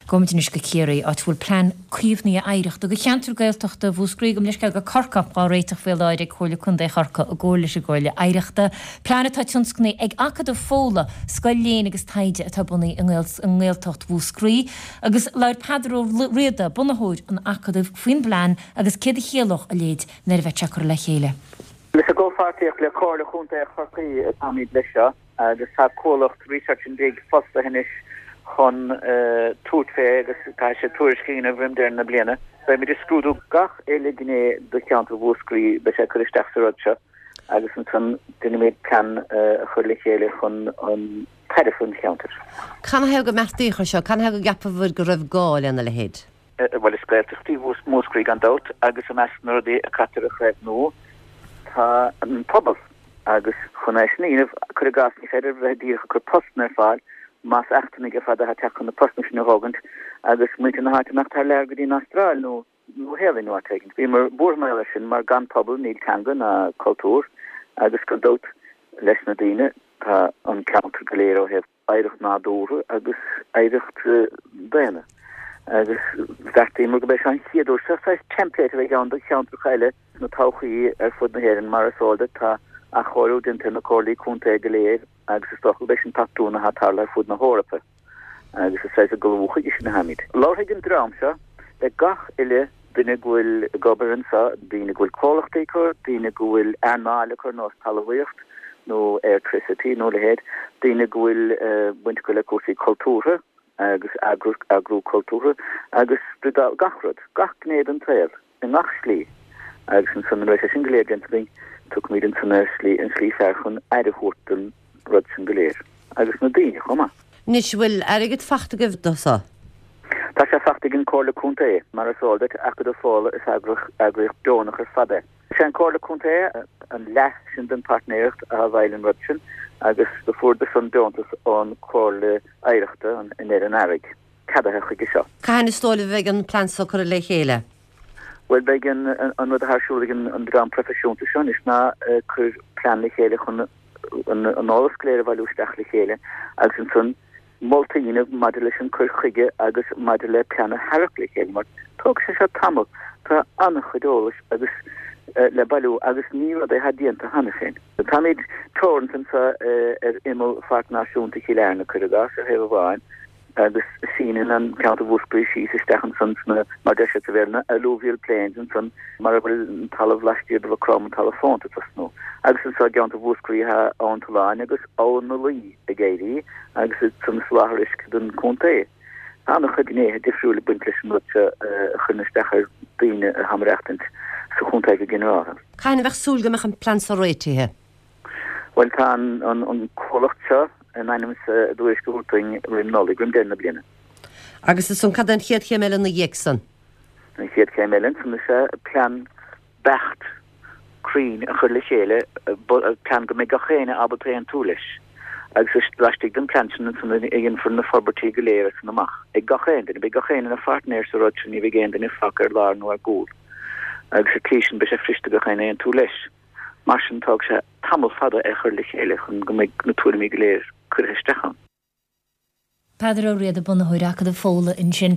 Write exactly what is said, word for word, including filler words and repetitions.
Gabhaimid anois go Ciarraí, áit a bhfuil plean caomhnaithe oidhreachta do cheantar Gaeltachta Mhúscraí gabh mo leithscéal go Corcaigh á réiteach faoi láthair ag Comhairle Contae Chorcaí i gcomhar leis an gComhairle Oidhreachta. Plean atá tionscnaithe ag Acadamh Fódhla, scoil léinn agus taighde atá bunaithe i nGaeltacht Mhúscraí. Agus labhair Peadar Ó Riada, bunaitheoir an Acadaimh, faoin bplean agus céard a chiallódh a leithéid nuair a bheidh sé curtha le chéile. Is i gcomhpháirtíocht le Comhairle Chontae Chorcaí atáimid leis seo agus tá comhlacht Research and Dig fostaithe anois chun tabhairt fé agus caithfidh sé tuairisc a dhéanamh roim deireadh na bliana. Beimid ag scrúdú gach uile gné de cheantar Mhúscraí, beidh sé ag cur isteach sa rud seo agus ansan déanfaimid plean a chur le chéile chun an tairbhe an cheantair. Canathaobh go mbeartaíodh é seo? Canathaobh go gceapadh go raibh gá lena leithéid? Bhuel, is Gaeltacht í Múscraí gan dabht agus i measc na rudaí a caitear a chaomhnú tá an pobal agus chun é sin a dhéanamh, cuir i gcás, ní féidir bheith díreach ag cur postanna ar fáil más eachtrannaigh ar fad atá ag teacht chun na postanna sin a thógaint agus muintir na háite imeacht thar lear go dtí an Astráil nó Nua-Shéalainn nó áit éigin. Bhíomar buartha mar gheall air sin mar gan pobal níl teanga ná cultúr agus gan dabht leis na daoine tá an ceantar go léir ó thaobh oidhreacht nádúrtha agus oidhreacht daonna agus bheartaíomar go mbeidh seo an chéad uair seo saghas template a bheidh ann do cheantracha eile sna todhchaí ar fud na hÉireann mar is eol duit tá athchóiriú déanta ar na comhairlí contae go léir agus is dócha gurb é sin patrún atá ag tarlú ar fud na hEorpa agus is saghas ag ullmhú chuige sin atáimid. Labharfaidh an dream seo le gach uile duine go bhfuil ag obair anseo, daoine go bhfuil comhlachtaí acu, daoine go bhfuil earnáil acu ar nós talmhaíocht nó airtricity nó a leithéid, daoine go bhfuil baint acu le cúrsaí cultúrtha agus eagrú cultúrtha agus gach rud, gach gné den tsaol. i ngach slí, agus ansan nuair a bheidh sé sin go léir déanta againn, tiocfaimid ansan ar shlí, an slí fearr chun aire a thabhairt don rud sin go léir, agus na daoine chomh maith. Anois, bhfuil airgead fachta agaibh do so? Tá sé fachta ag an Comhairle Contae, mar is eol duit, Acadamh Fódhla is eagraíocht deonach ar fad é. Is é an Comhairle Contae an leath sin den pairtnéireacht a bhfeighil an rud sin, agus do fuaireadar san deontas ón Comhairle Oidhreachta i ndeireadh an earraigh. ceadaithe chuige seo. Cathain is dóigh libh a bheidh an plean so curtha le chéile? Bhuel, beidh an rud atá ar siúl ag an dream proifisiúnta seo anois ná cur plean le chéile chun an eolas go léir a bhailiú isteach le chéile agus ansan moltaí a dhéanamh maidir leis an cur chuige agus maidir le plean a tharrac le chéile mar tógfaidh sé seo tamall, tá an-chuid eolais agus le bailiú agus ní rud é atá déanta cheana féin. Táimid teoranta anseo ar imeall Pháirc Náisiúnta Chill Airne, cuir i gcás, ar thaobh amháin, agus síneann an ceantar Mhúscraí síos isteach ansan sna, mar deir siad sa Bhéarla, na alluvial plains ansan mar a bhfuil an talamh laistiar de Mhaigh Chromtha, an talamh fónta ag tosnú. Agus anso i gceantar Mhúscraí tá Abhainn Tulláin agus Abhainn na Laoi ag éirí agus iad san ag soláthar uisce don chontae. Tá an-chuid gnéithe difriúil ag baint leis an rud seo a chuireann isteach ar daoine atá ag maireachtaint sa chontae go ginearálta. Cathain a bheadh súil go mbeadh an plean so réitithe? Bhuel, tá an comhlacht seo in ainm is a dtuairisc a thabhairt dúinn roim Nollaig, roim deireadh na bliana. Agus ansan, cad é an chéad chéim eile ina dhiaidh san? An chéad chéim eile ansan is ea plean beacht cruinn a chur le chéile, plean go mbeidh gach éinne ábalta aontú leis. Agus laistigh den plean sin ansan a dhéanfar na forbairtí go léir as san amach, ag gach aon duine. Beidh gach éinne ina pháirtnéir sa rud sin, ní bheidh aon duine fágtha ar lár nó ar gcúl. Agus sa tslí sin beidh sé fuirist do gach éinne aontú leis. Mar sin, tógfaidh sé tamall fada é a chur le chéile chun go mbeidh na tuairimí go léir curtha isteach ann. Peadar Ó Riada, bunaitheoir Acadamh Fódhla ansin.